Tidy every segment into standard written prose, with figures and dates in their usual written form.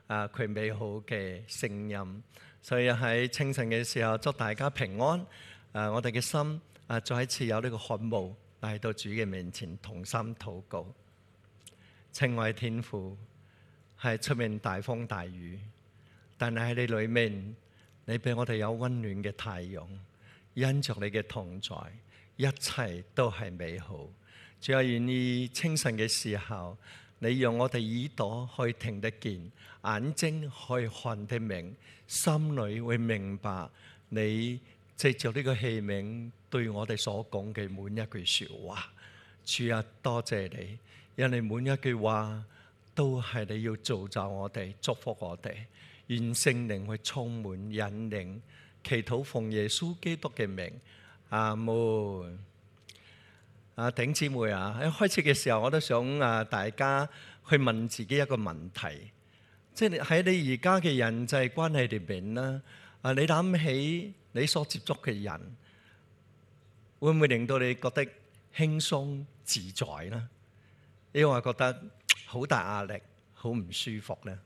佢美好嘅聲音。所以喺清晨嘅時候，祝大家平安。我哋嘅心再一次有呢個渴慕嚟到主嘅面前同心禱告。親愛天父，係出面大風大雨，但係喺你裏面，你俾我哋有溫暖嘅太陽，因着你嘅同在，一切都係美好。主啊，願意清晨嘅時候，你讓我哋耳朵可以聽得見，眼睛可以看得明，心裏會明白你藉着呢個器皿對我哋所講嘅每一句說話。主啊，多謝你，因為每一句話都係你要造就我哋，祝福我哋。願聖靈去充滿引領，祈禱奉耶穌基督嘅名，阿門。弟兄姊妹啊，喺開始嘅時候，我都想大家去問自己一個問題，即係喺你而家嘅人際關係裏邊啦，你諗起你所接觸嘅人，會唔會令到你覺得輕鬆自在呢？抑或覺得好大壓力、好唔舒服呢？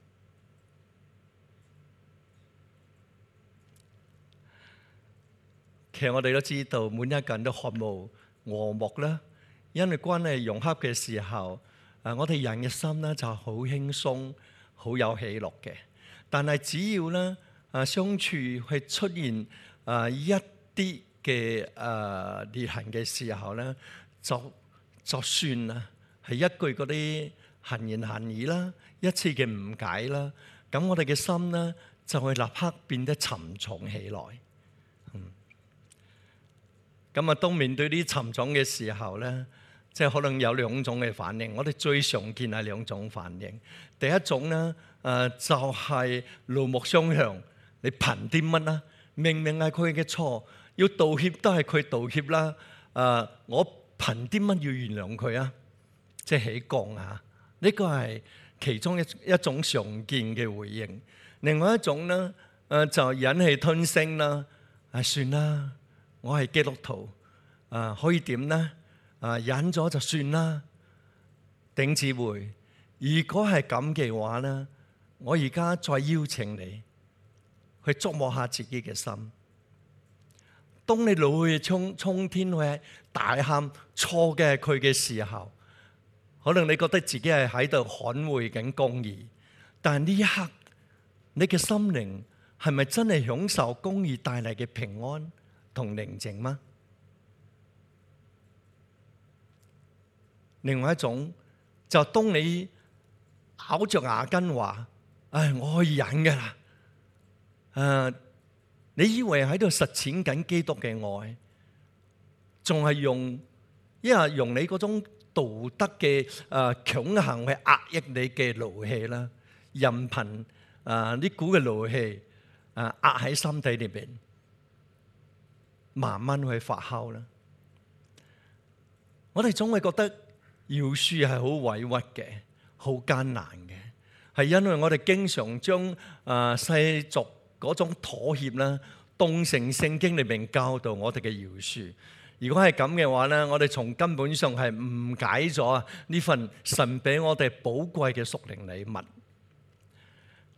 其實我哋都知道，每一個人都渴慕和睦啦，因為關係融洽嘅時候，我哋人嘅心咧就好輕鬆、好有喜樂嘅。但係只要咧相處係出現一啲嘅裂痕嘅時候咧，就算啦，係一句嗰啲閒言閒語啦，一次嘅誤解啦，咁我哋嘅心咧就會立刻變得沉重起來。咁啊，當面對啲沉重嘅時候咧，即係可能有兩種嘅反應。我哋最常見係兩種反應。第一種咧，就係怒目相向。你憑啲乜啦？明明係佢嘅錯，要道歉都係佢道歉啦。我憑啲乜要原諒佢啊？即係起槓啊！呢個係其中一種常見嘅回應。另外一種咧，就忍氣吞聲啦。算啦。我係基督徒，可以點呢？忍咗就算啦。弟兄姊妹，如果係咁嘅話呢，我而家再邀請你去觸摸下自己嘅心。當你怒氣沖天去大喊錯嘅係佢嘅時候，可能你覺得自己係喺度捍衛緊公義，但係呢一刻，你嘅心靈係咪真係享受公義帶嚟嘅平安同寧靜嗎？另外一種就當你咬着牙根話：我可以忍㗎啦。你以為喺度實踐緊基督嘅愛，仲係用你嗰種道德嘅強行去壓抑你嘅怒氣啦，任憑呢股嘅怒氣壓喺心底裏邊，慢慢去發酵啦。我哋總會覺得饒恕係好委屈嘅，好艱難嘅，係因為我哋經常將世俗嗰種妥協啦，當成聖經裏面教導我哋嘅饒恕。如果係咁嘅話咧，我哋從根本上係誤解咗呢份神俾我哋寶貴嘅屬靈禮物。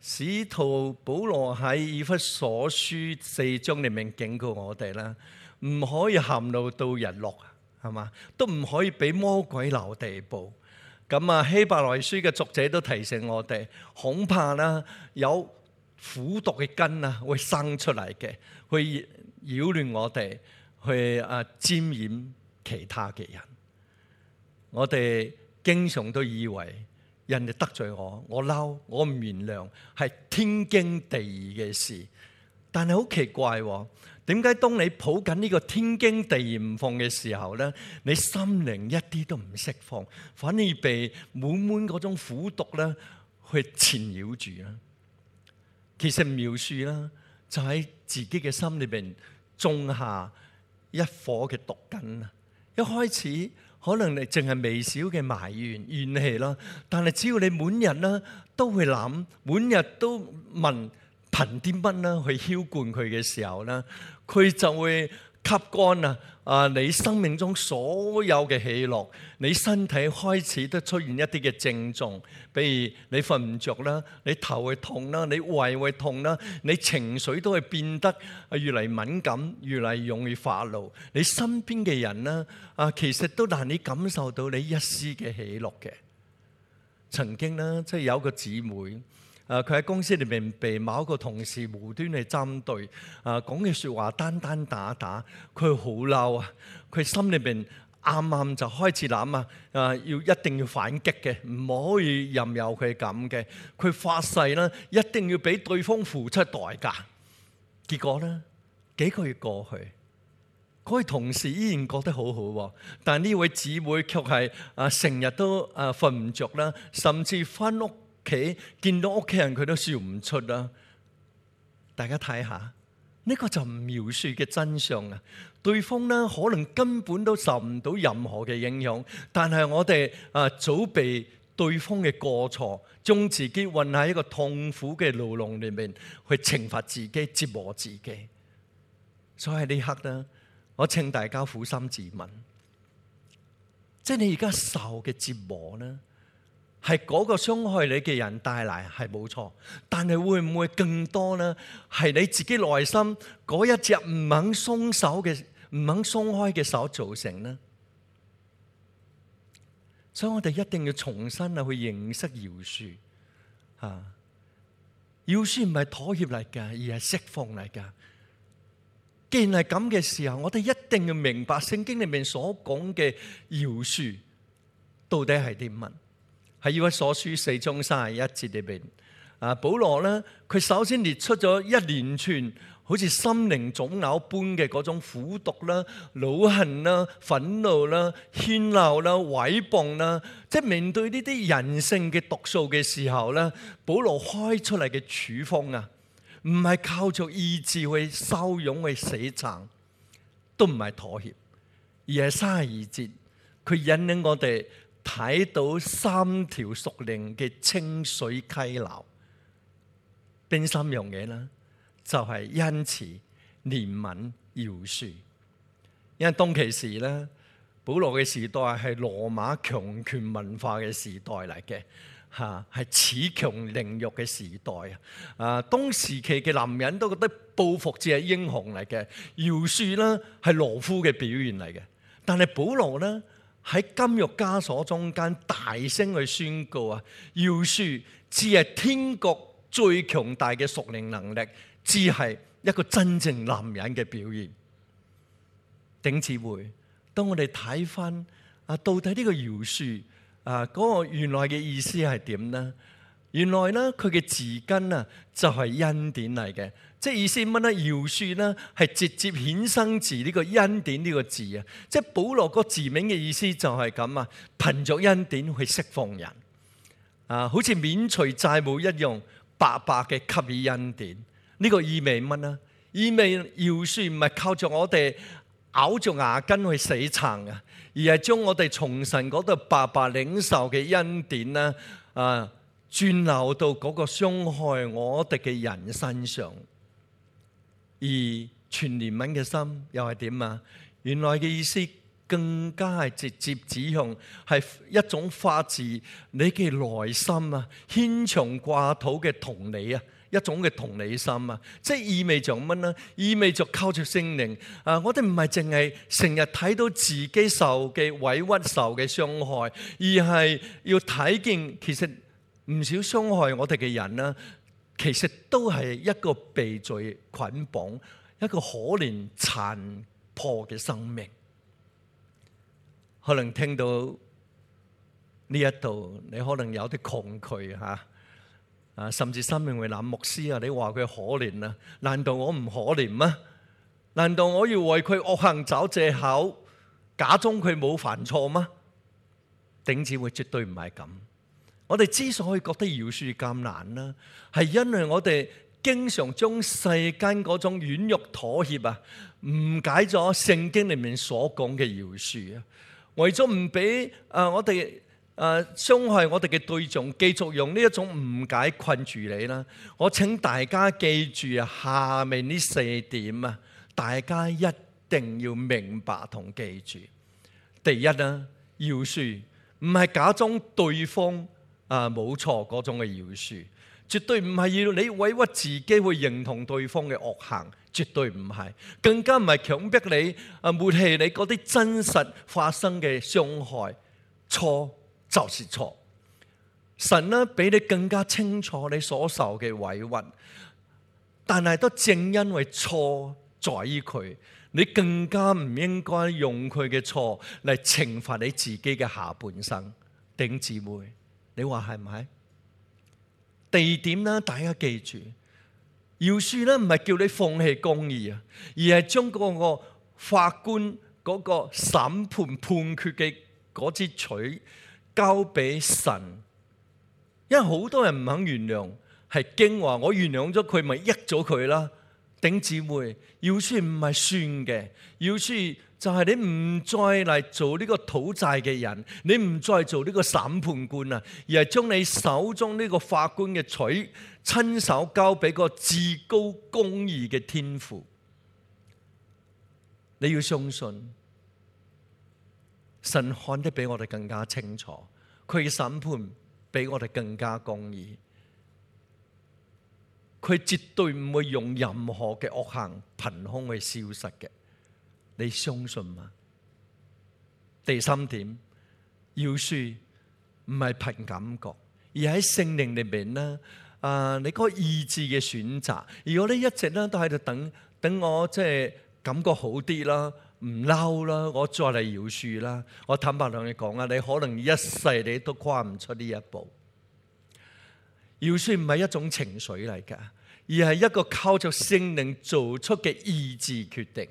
使徒保羅喺以弗所書4章裏面警告我哋啦，唔可以含怒到日落，係嘛？都唔可以俾魔鬼留地步。咁希伯來書嘅作者都提醒我哋，恐怕啦有苦毒嘅根會生出嚟嘅，去擾亂我哋，去沾染其他嘅人。我哋經常都以為人哋得罪我嬲，我唔原諒，係天經地義嘅事。但係好奇怪喎，點解當你抱緊呢個天經地義唔放嘅時候咧，你心靈一啲都唔釋放，反而被滿滿嗰種苦毒咧去纏繞住啦。其實描述啦，就喺自己嘅心裏邊種下一顆嘅毒根啊！一開始可能你淨係微小嘅埋怨怨氣啦，但係只要你每日啦都會諗，每日都問憑啲乜啦去澆灌佢嘅時候咧，佢就會吸乾你生命中所有嘅喜樂，你身體開始都出現一啲嘅症狀，比如你瞓唔着啦，你頭會痛啦，你胃會痛啦，你情緒都會變得越嚟敏感，越嚟容易發怒。你身邊嘅人呢，其實都難以感受到你一絲嘅喜樂嘅。曾經呢，即係有個姊妹。佢喺公司裏面被某一個同事無端去針對，講嘅説話單單打打，佢好嬲啊！佢心裏邊啱啱就開始諗一定要反擊嘅，唔可以任由佢咁嘅。佢發誓啦，一定要俾對方付出代價。結果呢，幾個月過去，嗰位同事依然覺得好好，但呢位姊妹卻係成日都瞓唔着啦，甚至翻屋企見到屋企人佢都笑唔出啦。大家睇下，呢個就唔描述嘅真相啊！對方呢可能根本都受唔到任何嘅影響，但係我哋早被對方嘅過錯，將自己困喺一個痛苦嘅牢籠裏面，去懲罰自己、折磨自己。所以呢刻呢，我請大家苦心自問，即係你而家受嘅折磨呢，係嗰個傷害你嘅人帶嚟，係冇錯，但係會唔會更多呢？係你自己內心嗰一隻唔肯鬆開嘅手造成呢？所以我哋一定要重新去認識饒恕。饒恕唔係妥協嚟㗎，而係釋放嚟㗎。既然係咁嘅時候，我哋一定要明白聖經裏面所講嘅饒恕到底係啲乜？喺以弗所書4章31節裏邊，保羅咧，佢首先列出咗一連串好似心靈腫瘤般嘅嗰種苦毒啦、惱恨啦、憤怒啦、喧鬧啦、毀謗啦，即係面對呢啲人性嘅毒素嘅時候咧，保羅開出嚟嘅處方唔係靠著意志去收容去死撐，都唔係妥協，而係32節，佢引領我哋睇到3條屬靈嘅清水溪流，邊3樣嘢呢？就係恩慈、憐憫、饒恕。因為當其時咧，保羅嘅時代係羅馬強權文化嘅時代嚟嘅，係恃強凌弱嘅時代。當時期嘅男人都覺得報復至係英雄嚟嘅，饒恕呢係懦夫嘅表現嚟嘅。但係保羅呢，喺監獄枷鎖中間大聲去宣告饒恕只係天國最強大嘅屬靈能力，只係一個真正男人嘅表現。頂姊妹，當我哋睇翻到底呢個饒恕嗰個原來嘅意思係點呢？原來呢，佢嘅字根就係恩典嚟嘅，即係意思乜呢？饒恕呢係直接衍生自呢個恩典呢個字即係保羅個字面嘅意思就係咁憑着恩典去釋放人好似免除債務一樣，白白嘅給予恩典。呢個意味乜呢？意味饒恕唔係靠着我哋咬住牙根去死撐而係將我哋從神嗰度白白領受嘅恩典轉流到嗰個傷害我哋嘅人身上。而全憐憫嘅心又係點原來嘅意思更加係直接指向係一種發自你嘅內心牽腸掛肚嘅同理一種嘅同理心即係意味着乜呢？意味着靠住聖靈我哋唔係淨係成日睇到自己受嘅委屈、受嘅傷害，而係要睇見其實唔少傷害我哋嘅人其實都係一個被罪捆綁、一個可憐殘破嘅生命。可能聽到呢一度，你可能有啲抗拒甚至生命會諗，牧師你話佢可憐難道我唔可憐嗎？難道我要為佢惡行找藉口，假裝佢冇犯錯嗎？頂姊妹，絕對唔係咁。我哋之所以覺得饒恕咁難係因為我哋經常將世間嗰種軟弱妥協誤解咗聖經裡面所講嘅饒恕為咗唔俾我哋傷害我哋嘅對象繼續用呢一種誤解困住你啦。我請大家記住下面呢4點大家一定要明白同記住。第一啦，饒恕唔係假裝對方冇錯嗰種嘅饒恕，絕對唔係要你委屈自己去認同對方嘅惡行，絕對唔係，更加唔係強迫你抹棄你嗰啲真實發生嘅傷害。錯就是錯，神呢比你更加清楚你所受嘅委屈，但係都正因為錯在於佢，你更加唔應該用佢嘅錯嚟懲罰你自己嘅下半生。弟兄姊妹，你話係唔係？第二點呢，大家記住，饒恕呢唔係叫你放棄公義啊，而係將嗰個法官嗰個審判判決嘅嗰支錘交俾神。因為好多人唔肯原諒，係驚話我原諒咗佢，咪益咗佢啦。弟兄姊妹，饒恕唔係算嘅，饒恕就係你唔再嚟做呢個討債嘅人，你唔再做呢個審判官啊，而係將你手中呢個法官嘅錘親手交俾個至高公義嘅天父。你要相信神看得比我哋更加清楚，佢嘅審判比我哋更加公義，佢絕對唔會用任何嘅惡行憑空去消失嘅。你相信嗎？第三點，饒恕唔係憑感覺，而喺聖靈裏面呢，你嗰個意志嘅選擇。如果你一直咧都喺度等我即係感覺好啲啦，唔嬲啦，我再嚟饒恕啦。我坦白同你講啊，你可能一世你都跨唔出呢一步。饒恕唔係一種情緒嚟㗎，而係一個靠着聖靈做出嘅意志決定。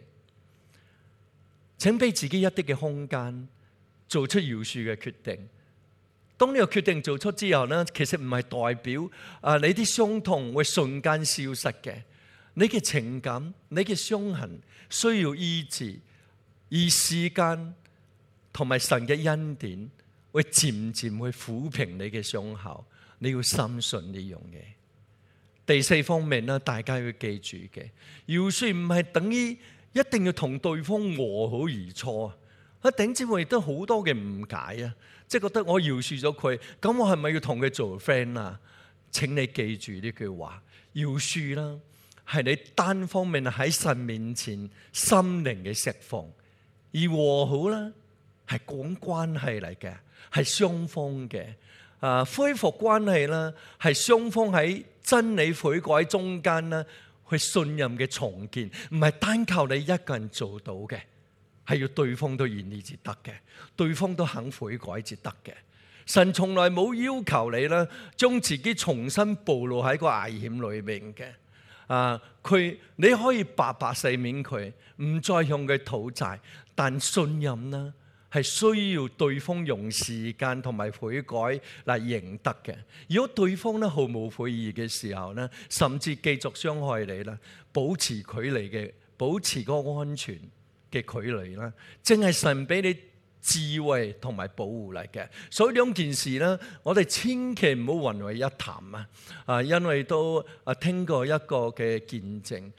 請俾自己一啲嘅空間，做出饒恕嘅決定。當呢個決定做出之後呢，其實唔係代表你啲傷痛會瞬間消失嘅。你嘅情感、你嘅傷痕需要醫治，而時間同埋神嘅恩典會漸漸去撫平你嘅傷口。你要深信呢樣嘢。第四方面呢，大家要記住嘅，饒恕唔係等於一定要同對方和好如初啊！弟兄姊妹亦都好多嘅誤解啊，即係覺得我饒恕咗佢，咁我係咪要同佢做 friend 啊？請你記住呢句話，饒恕啦，係你單方面喺神面前心靈嘅釋放，而和好啦係講關係嚟嘅，係雙方嘅。恢復關係啦，係雙方喺真理悔改中間啦，去信任嘅重建，唔係單靠你一個人做到嘅，係要對方都願意至得嘅，對方都肯悔改至得嘅。神從來冇要求你啦，將自己重新暴露喺個危險裏面嘅。你可以白白赦免佢，唔再向佢討債，但信任啦，係需要對方用時間同埋悔改嚟贏得嘅。如果對方咧毫無悔意嘅時候咧，甚至繼續傷害你啦，保持距離嘅，保持個安全嘅距離啦，正係神俾你智慧同埋保護嚟嘅。所以兩件事咧，我哋千祈唔好混為一談啊！因為都聽過一個嘅見證。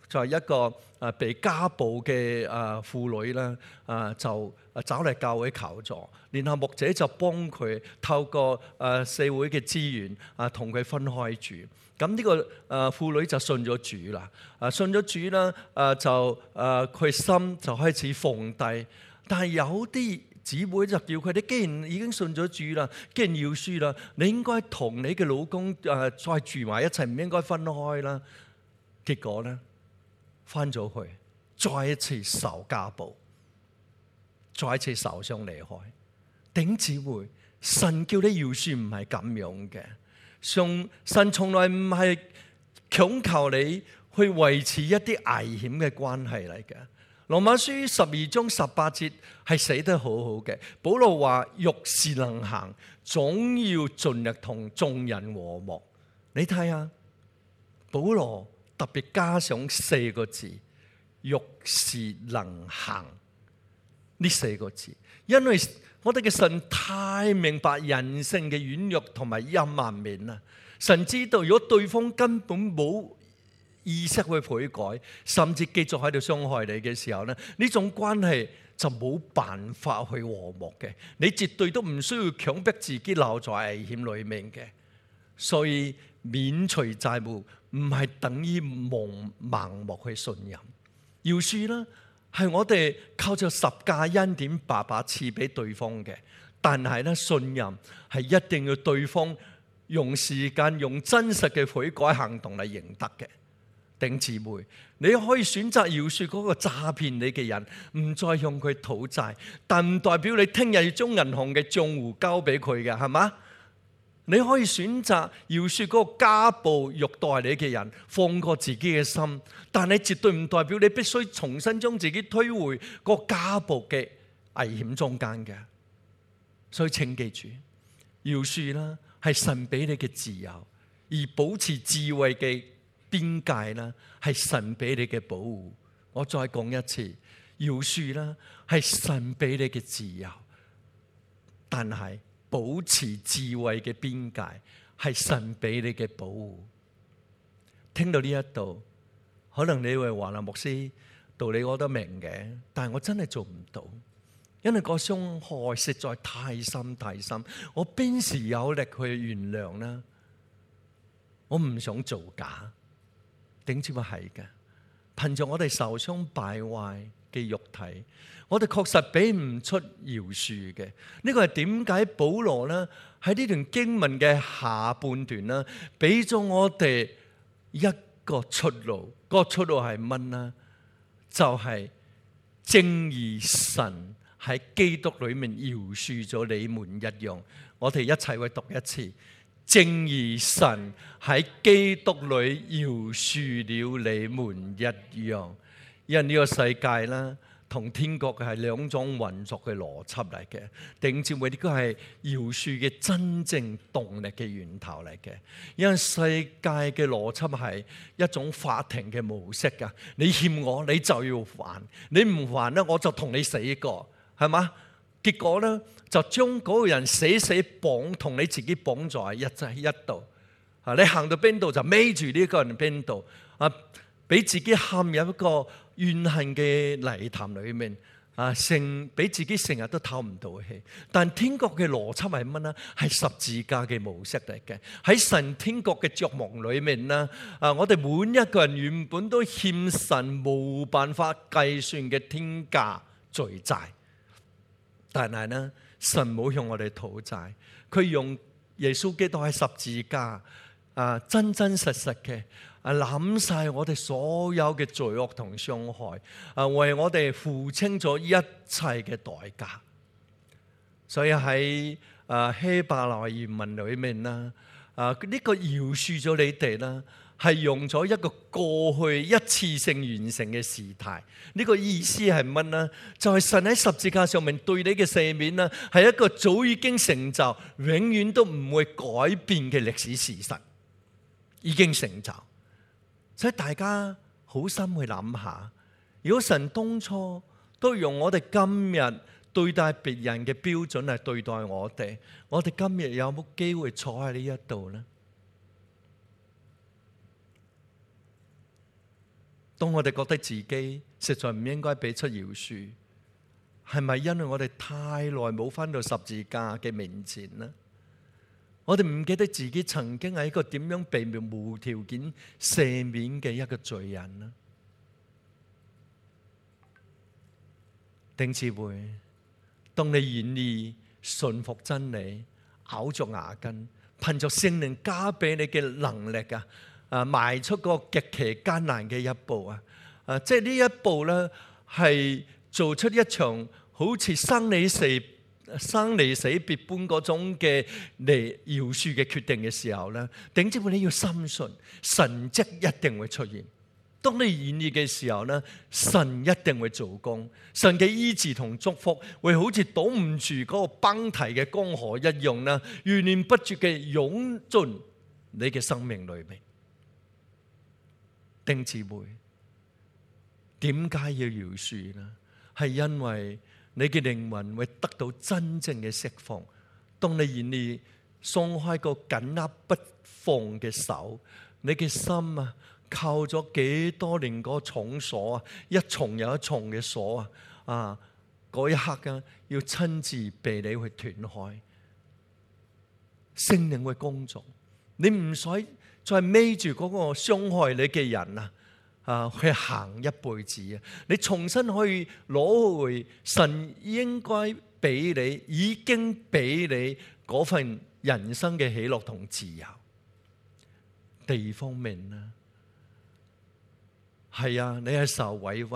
就係一個被家暴嘅婦女啦，就找嚟教會求助，然後牧者就幫佢透過社會嘅資源同佢分開住。咁呢個婦女就信咗主啦，信咗主啦，就佢心就開始放低。但係有啲姊妹就叫佢哋，既然已經信咗主啦，既然饒恕啦，你應該同你嘅老公再住埋一齊，唔應該分開啦。結果咧，翻咗去，再一次受家暴，再一次受傷離開。弟兄姊妹，神叫你饒恕唔係咁樣嘅，神從來唔係強求你去維持一啲危險嘅關係嚟嘅。羅馬書12章18節係寫得好好嘅，保羅話：若是能行，總要盡力同眾人和睦。你睇下，保羅特別加上4個字，若是能行呢4個字，因為我哋嘅神太明白人性嘅軟弱同埋陰暗面啦。神知道如果對方根本冇意識去悔改，甚至繼續喺度傷害你嘅時候咧，呢種關係就冇辦法去和睦嘅。你絕對都唔需要強迫自己留在危險裡面嘅。所以免除債務唔係等於盲目去信任。饒恕啦，係我哋靠着十架恩典白白賜俾對方嘅。但係咧，信任係一定要對方用時間、用真實嘅悔改行動嚟贏得嘅。弟兄姊妹，你可以選擇饒恕嗰個詐騙你嘅人，唔再向佢討債，但唔代表你聽日要將銀行嘅賬戶交俾佢嘅，係嘛？你可以選擇饒恕嗰個家暴虐待你嘅人，放過自己嘅心，但你絕對唔代表你必須重新將自己推回個家暴嘅危險中間嘅。所以請記住，饒恕啦係神俾你嘅自由，而保持智慧嘅邊界啦，係神俾你嘅保護。我再講一次，饒恕啦係神俾你嘅自由，但係保持智慧嘅邊界係神俾你嘅保護。聽到呢一度，可能你會話啦，牧師，道理我都明嘅，但係我真係做唔到，因為個傷害實在太深太深，我邊時有力去原諒呢？我唔想造假。點知話係嘅，憑着我哋受傷敗壞嘅肉體，我哋確實俾唔出饒恕嘅。呢個係點解保羅呢喺呢段經文嘅下半段呢，俾咗我哋一個出路。個出路係乜呢？就係正如神喺基督裏面饒恕咗你們一樣。我哋一齊去讀一次。正如神喺基督裏饒恕了你們一樣。因為呢個世界啦，同天國嘅係兩種運作嘅邏輯嚟嘅。弟兄姊妹，呢個係饒恕嘅真正動力嘅源頭嚟嘅。因為世界嘅邏輯係一種法庭嘅模式㗎。你欠我，你就要還；你唔還咧，我就同你死過，係嘛？結果咧，就將嗰個人死綁同你自己綁在一度。啊，你行到邊度就孭住呢個人邊度。啊，俾自己陷入一個怨恨嘅泥潭裏面。啊，俾自己成日都透唔到氣。但天國嘅邏輯係乜呢？係十字架嘅模式嚟嘅。喺神天國嘅帳幕裏面呢，我哋每一個人原本都欠神冇辦法計算嘅天價罪債。但係呢，神冇向我哋討債，佢用耶穌基督喺十字架真真實實嘅攬晒我哋所有嘅罪惡同傷害，為我哋付清咗一切嘅代價。所以喺希伯來原文裏面啦，呢個饒恕咗你哋啦，係用咗一個過去一次性完成嘅時態。呢個意思係乜呢？就係神喺十字架上面對你嘅赦免啦，係一個早已經成就、永遠都唔會改變嘅歷史事實，已經成就。所以大家好心去諗下，如果神當初都用我哋今日對待別人嘅標準嚟對待我哋今日有冇機會坐喺呢一度呢？當我哋覺得自己實在唔應該俾出饒恕，係咪因為我哋太耐冇返到十字架嘅面前呢？我哋唔記得自己曾經係一個點樣被無條件赦免嘅一個罪人呢？弟兄姊妹，當你願意順服真理，咬着牙根，憑着聖靈加俾你嘅能力邁出個極其艱難嘅一步即係呢一步咧，係做出一場好似生離死別般嗰種嘅嚟饒恕嘅決定嘅時候咧，弟兄姊妹，你要深信神蹟一定會出現。當你願意嘅時候咧，神一定會做工，神嘅醫治同祝福會好似擋唔住嗰個崩堤嘅江河一樣啦，源源不絕嘅湧進你嘅生命裏面。弟兄姊妹，點解要饒恕呢？係因為你嘅靈魂會得到真正嘅釋放。當你願意鬆開個緊握不放嘅手，你嘅心扣咗幾多年嗰重鎖啊，一重又一重嘅鎖啊，嗰一刻啊，要親自被你去斷開。聖靈會工作，你唔使再孭住嗰個傷害你嘅人去行一輩子啊！你重新可以攞回神應該俾你，已經俾你嗰份人生嘅喜樂同自由。第二方面啦，係啊，你係受委屈、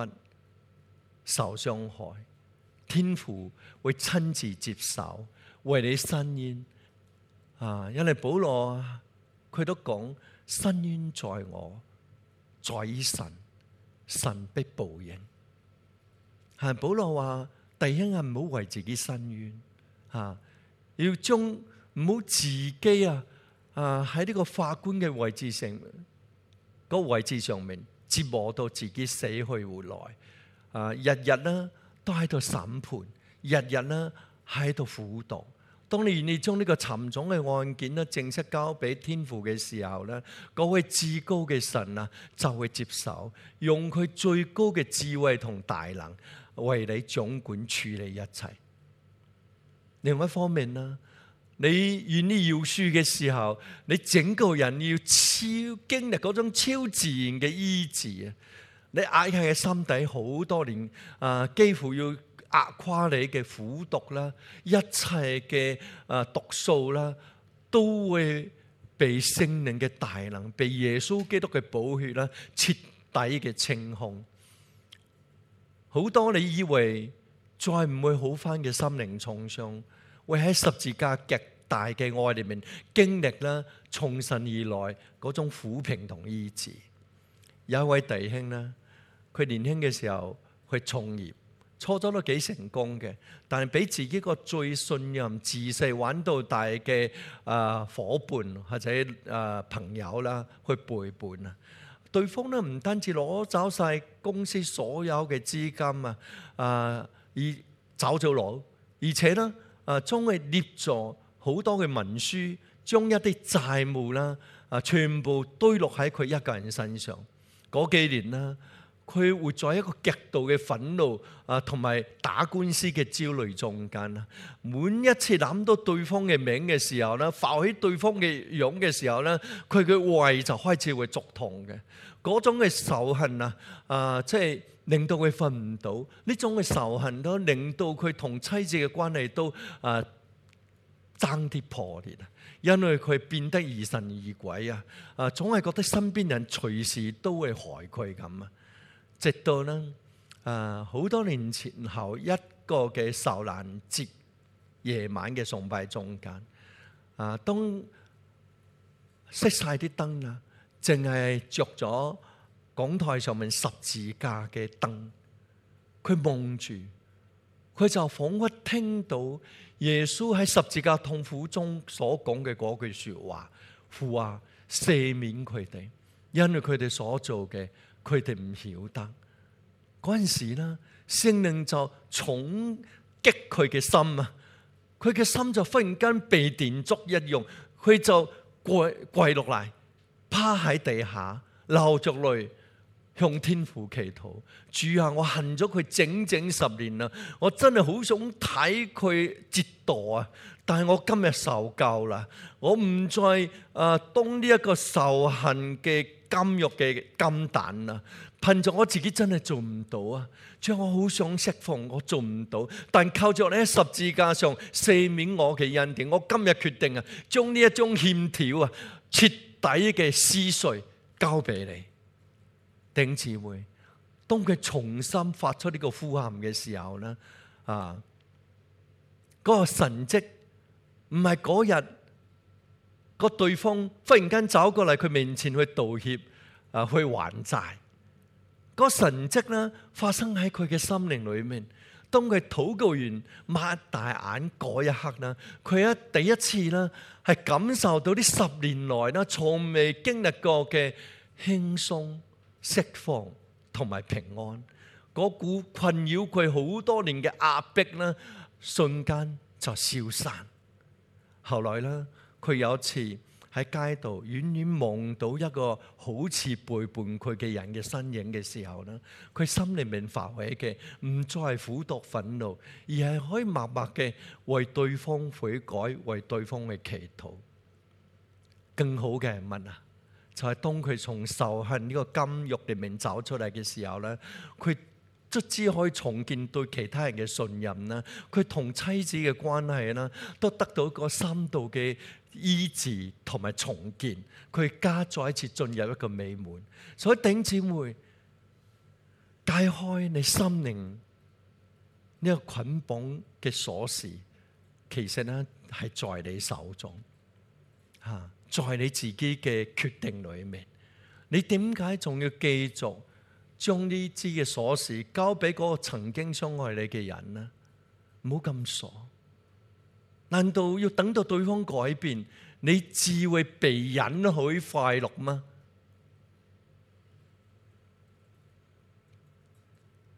受傷害，天父會親自接手，為你伸冤因為保羅佢都講，伸冤在我，在於神，神必報應。係保羅話，第一唔好為自己伸冤要將唔好自己喺呢個法官嘅位置上，個位置上面折磨到自己死去活來日日呢都喺度審判，日日呢喺度輔導。當你願意將呢個沉重嘅案件呢正式交俾天父嘅時候呢，嗰位至高嘅神就會接手，用佢最高嘅智慧同大能為你總管處理一切。另外一方面呢，你願意饒恕嘅時候，你整個人要經歷嗰種超自然嘅醫治你壓喺嘅心底好多年幾乎要壓垮你嘅苦毒啦，一切嘅毒素啦，都會被聖靈嘅大能，被耶穌基督嘅寶血啦，徹底嘅清空。好多你以為再唔會好返嘅心靈創傷，會喺十字架極大嘅愛裏面經歷啦，從神而來嗰種撫平同醫治。有一位弟兄呢，佢年輕嘅時候去創業。初初都幾成功嘅，但係俾自己個最信任、自細玩到大嘅夥伴或者朋友啦，去背叛對方呢，唔單止攞走晒公司所有嘅資金而走咗佬，而且呢將佢捏咗好多嘅文書，將一啲債務啦全部堆落喺佢一個人身上。嗰幾年啦，佢活在一個極度嘅憤怒同埋打官司嘅焦慮中間。每一次諗到對方嘅名嘅時候咧，浮起對方嘅樣嘅時候咧，佢嘅胃就開始會作痛嘅。嗰種嘅仇恨即係令到佢瞓唔到。呢種嘅仇恨都令到佢同妻子嘅關係都爭啲破裂，因為佢變得疑神疑鬼總係覺得身邊人隨時都會害佢咁直到呢好多年前後一個嘅受難節夜晚嘅崇拜中間當熄晒啲燈啦，淨係着咗講台上面十字架嘅燈，佢望住，佢就仿佛聽到耶穌喺十字架痛苦中所講嘅嗰句說話：父啊，赦免佢哋，因為佢哋所做嘅，佢哋唔曉得。嗰陣時呢，聖靈就重擊佢嘅心佢嘅心就忽然間被電燭一樣，佢就跪落嚟，趴喺地下，流着淚向天父祈禱：主啊，我恨咗佢整整10年啦，我真係好想睇佢折墮但係我今日受夠啦，我唔再當呢一個仇恨嘅監獄嘅金蛋啦。憑着我自己真係做唔到主，我好想釋放，我做唔到，但靠着你喺十字架上赦免我嘅恩典，我今日決定將呢一種欠條徹底嘅撕碎交俾你。弟兄姊妹，當佢重新發出呢個呼喊嘅時候呢嗰個神蹟唔係嗰日個對方忽然間走過嚟佢面前去道歉去還債。嗰神蹟呢發生喺佢嘅心靈裏面。當佢禱告完擘大眼嗰一刻呢，佢第一次呢係感受到呢10年來呢從未經歷過嘅輕鬆、釋放同埋平安。嗰股困擾佢好多年嘅壓迫呢，瞬間就消散。後來呢，佢有一次喺街度遠遠望到一個好似背叛佢嘅人嘅身影嘅時候咧，佢心裏面發起嘅唔再係苦毒憤怒，而係可以默默嘅為對方悔改，為對方去祈禱。更好嘅係乜啊？就係當佢從仇恨呢個監獄裏面走出嚟嘅時候咧，佢卒之可以重建對其他人嘅信任啦，佢同妻子嘅關係啦，都得到一個深度嘅醫治同埋重建，佢家再一次進入一個美滿。所以弟兄姊妹，解開你心靈呢個捆綁嘅鎖匙，其實咧係在你手中嚇。在你自己嘅決定裏面，你點解仲要繼續將呢支嘅鎖匙交俾嗰個曾經傷害你嘅人呢？唔好咁傻，難道要等到對方改變，你至會被允許快樂嗎？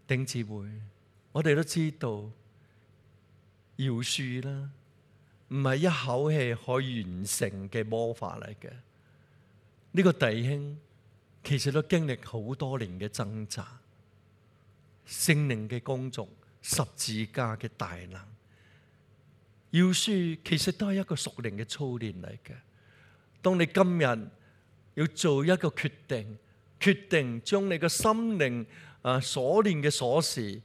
弟兄姊妹，我哋都知道饒恕啦，唔係一口氣可以完成嘅魔法嚟嘅。呢個弟兄其實都經歷好多年嘅掙扎，聖靈嘅工作，十字架嘅大能。饒恕其實都係一個屬靈嘅操練嚟嘅。當你今日要做一個決定將你嘅心靈鎖鏈嘅鎖匙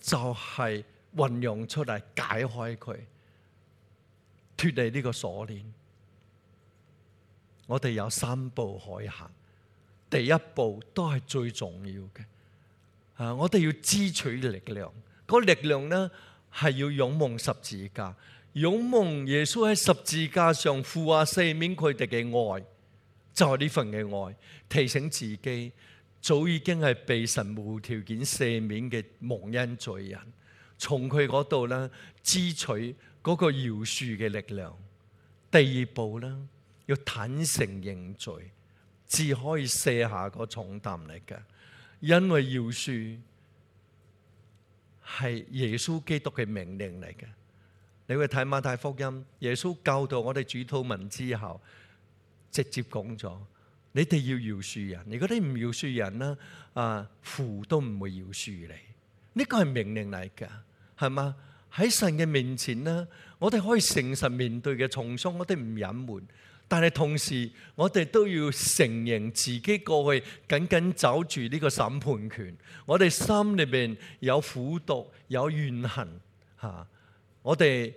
就係運用出嚟，解開佢，脫離呢個鎖鏈。我哋有3步可以行，第一步都係最重要嘅。我哋要支取力量，嗰力量呢係要仰望十字架，仰望耶穌喺十字架上父啊赦免佢哋嘅愛，就係呢份嘅愛，提醒自己早已經係被神無條件赦免嘅蒙恩罪人，從佢嗰度呢支取嗰個饒恕嘅力量。第二步呢，要坦誠認罪，至可以卸下個重擔嚟嘅。因為饒恕係耶穌基督嘅命令嚟嘅。你會睇馬太福音，耶穌教導我哋主禱文之後，直接講咗：你哋要饒恕人，如果你唔饒恕人呢，父都唔會饒恕你。呢個係命令嚟嘅，係嘛？喺神嘅面前呢，我哋可以誠實面對嘅重傷，我哋唔隱瞞。但係同時，我哋都要承認自己過去緊緊走住呢個審判權。我哋心裏面有苦毒，有怨恨嚇。我哋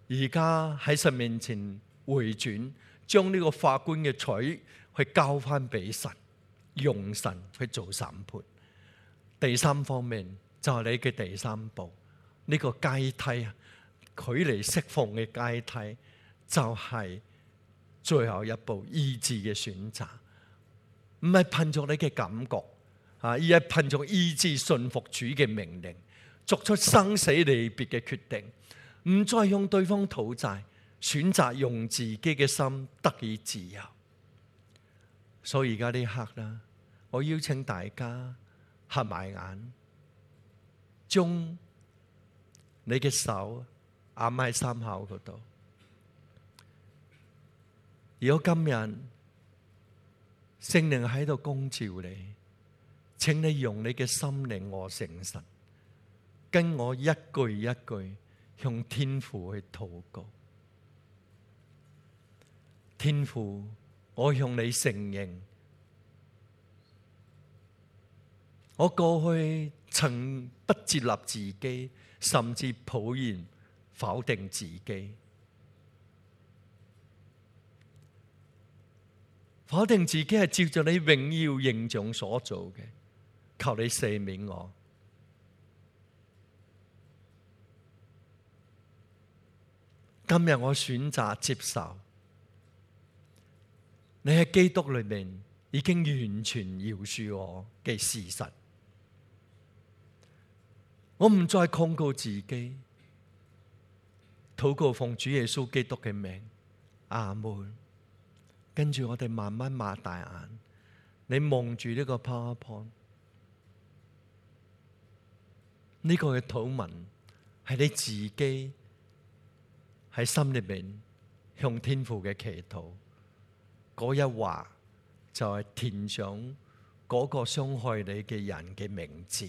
而家喺神面前回轉，將呢個法官嘅取去交翻俾神，用神去做審判。第三方面就係你嘅第三步，呢個階梯啊，距離釋放嘅階梯就係最後一步，意志嘅選擇，唔係憑着你嘅感覺而係憑着意志順服主嘅命令，作出生死離別嘅決定，唔再用對方討債，選擇用自己嘅心得以自由。所以而家呢刻啦，我邀請大家合埋眼，將你嘅手按喺心口嗰度。如果今日聖靈喺度光照你，請你用你嘅心靈和誠實，跟我一句一句向天父去禱告。天父，我向你承認，我過去曾不接納自己，甚至抱怨否定自己。否定自己係照着你榮耀形象所做嘅，求你赦免我。今日我選擇接受你喺基督裏面已經完全饒恕我嘅事實。我唔再控告自己，禱告奉主耶穌基督嘅名，阿門。跟住我哋慢慢擘大眼，你望住呢個 PowerPoint， 呢個嘅禱文係你自己喺心裏面向天父嘅祈禱。嗰一畫就係填上嗰個傷害你嘅人嘅名字。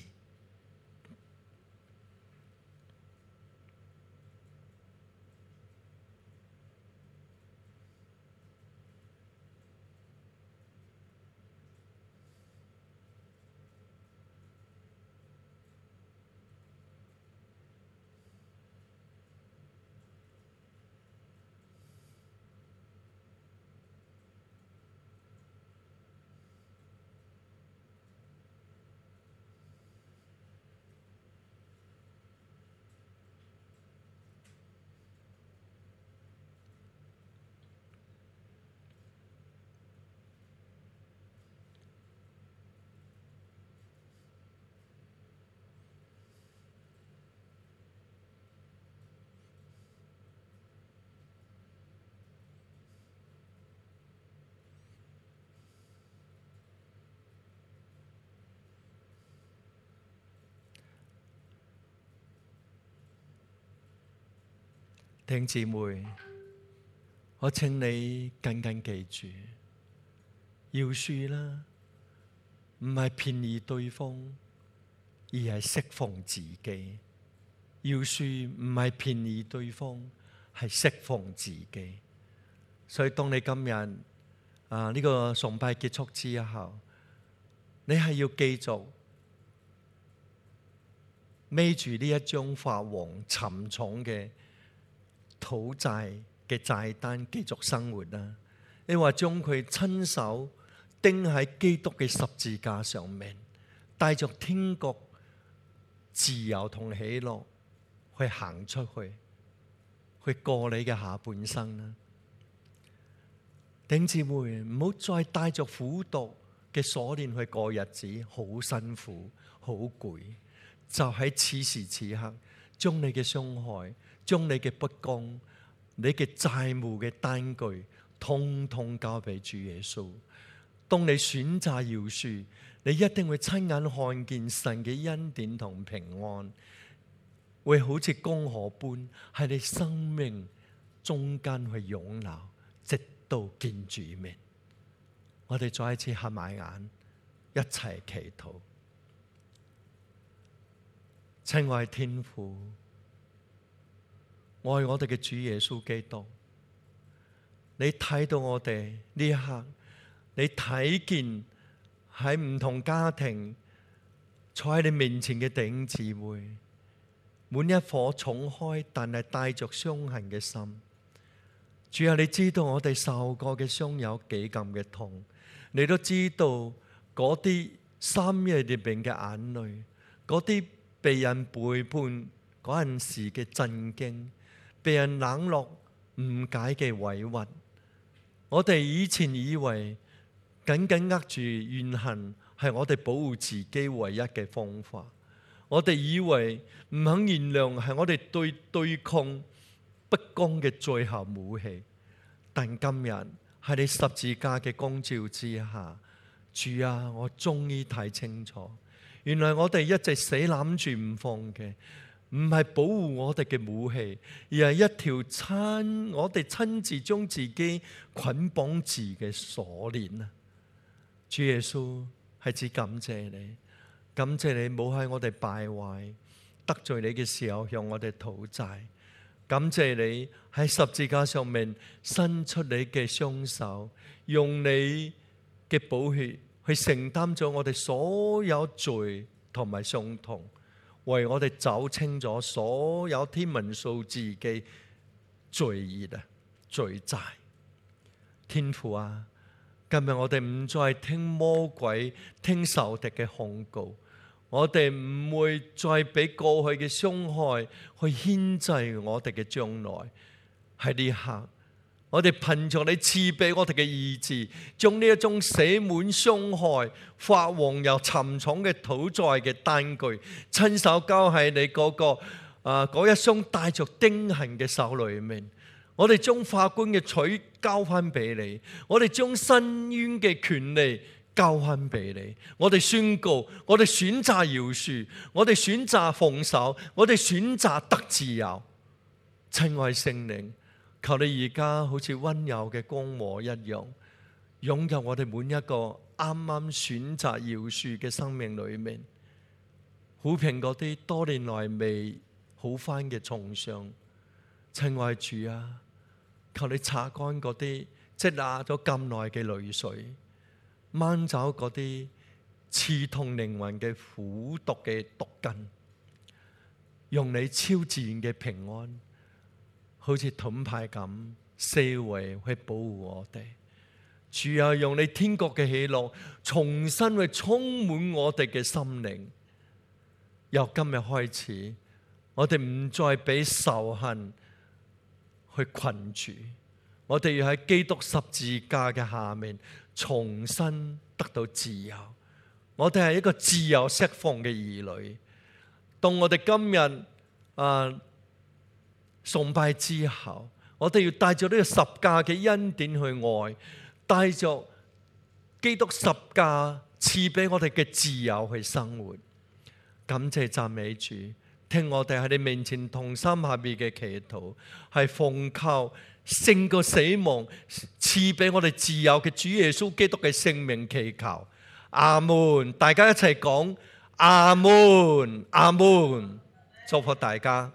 弟兄姊妹，我請你緊緊記住，饒恕啦，唔係便宜對方，而係釋放自己。饒恕唔係便宜對方，係釋放自己。所以當你今日呢個崇拜結束之後，你係要繼續孭住呢一張發黃沉重嘅討債嘅債單繼續生活啦。你話將佢親手釘喺基督嘅十字架上面，帶着天國自由同喜樂去行出去，去過你嘅下半生啦。弟兄姊妹，唔好再帶着苦毒嘅鎖鏈去過日子，好辛苦，好攰。就喺此時此刻，將你嘅傷害，將你嘅不公，你嘅債務嘅單據，通通交俾主耶穌。當你選擇饒恕，你一定會親眼看見神嘅恩典同平安，會好似江河般喺你生命中間去湧流，直到見主面。我哋再一次合埋眼，一齊祈禱。親愛天父，愛我哋嘅主耶穌基督，你睇到我哋呢一刻，你睇見喺唔同家庭坐喺你面前嘅弟兄姊妹，滿一顆敞開但係帶着傷痕嘅心。主啊，你知道我哋受過嘅傷有幾咁嘅痛，你都知道嗰啲深夜裏邊嘅眼淚，嗰啲被人背叛嗰陣時嘅震驚，被人冷落誤解嘅委屈。我哋以前以為緊緊握住怨恨係我哋保護自己唯一嘅方法，我哋以為唔肯原諒係我哋對抗不公嘅最後武器。但今日喺你十字架嘅光照之下，主啊，我終於睇清楚，原來我哋一直死攬住唔放嘅，唔係保護我哋嘅武器，而係一條我哋親自將自己捆綁住嘅鎖鏈啊！主耶穌，係指感謝你，感謝你冇喺我哋敗壞得罪你嘅時候向我哋討債，感謝你喺十字架上面伸出你嘅雙手，用你嘅寶血去承擔咗我哋所有罪同埋傷痛，為我哋走清咗所有天文數字嘅罪孽啊、罪債。天父啊，今日我哋唔再聽魔鬼、聽仇敵嘅控告，我哋唔會再俾過去嘅傷害去牽制我哋嘅將來。喺呢刻，我哋憑着你賜俾我哋嘅意志，將呢一種寫滿傷害、發黃又沉重嘅討債嘅單據，親手交喺你嗰一雙帶着釘痕嘅手裏面。我哋將法官嘅取交翻俾你，我哋將申冤嘅權利交翻俾你。我哋宣告，我哋選擇饒恕，我哋選擇放手，我哋選擇得自由。親愛聖靈，求你而家好似溫柔嘅光和一樣，擁有我哋每一個啱啱選擇饒恕嘅生命裏面，撫平嗰啲多年來未好返嘅創傷。親愛主啊，求你擦乾嗰啲積壓咗咁耐嘅淚水，掹走嗰啲刺痛靈魂嘅苦毒嘅毒根，用你超自然嘅平安，好似盾牌咁四圍去保護我哋。主啊，用你天國嘅喜樂重新去充滿我哋嘅心靈。由今日開始，我哋唔再俾仇恨去困住，我哋要喺基督十字架嘅下面重新得到自由。我哋係一個自由釋放嘅兒女。當我哋今日崇拜之後，我哋要帶着呢個十架嘅恩典去愛，帶着基督十架賜俾我哋嘅自由去生活。感謝讚美主，聽我哋喺你面前同心合意嘅祈禱，係奉靠勝過死亡賜俾我哋自由嘅主耶穌基督嘅聖名祈求。阿門！大家一齊講阿門，阿門！祝福大家。